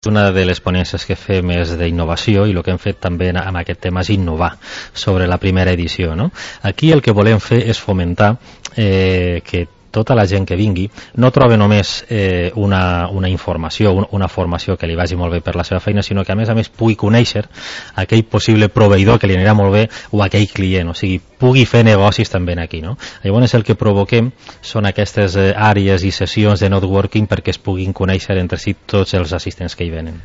una de les ponències que fem és d'innovació i el que hem fet també amb aquest tema és innovar sobre la primera edició, no? Aquí el que volem fer és fomentar que tota la gent que vingui no troba només una informació, una formació que li vagi molt bé per la seva feina, sinó que a més pugui conèixer aquell possible proveïdor que li anirà molt bé o aquell client, o sigui, pugui fer negocis també aquí, no? Llavors el que provoquem són aquestes àrees i sessions de networking perquè es puguin conèixer entre si tots els assistents que hi venen.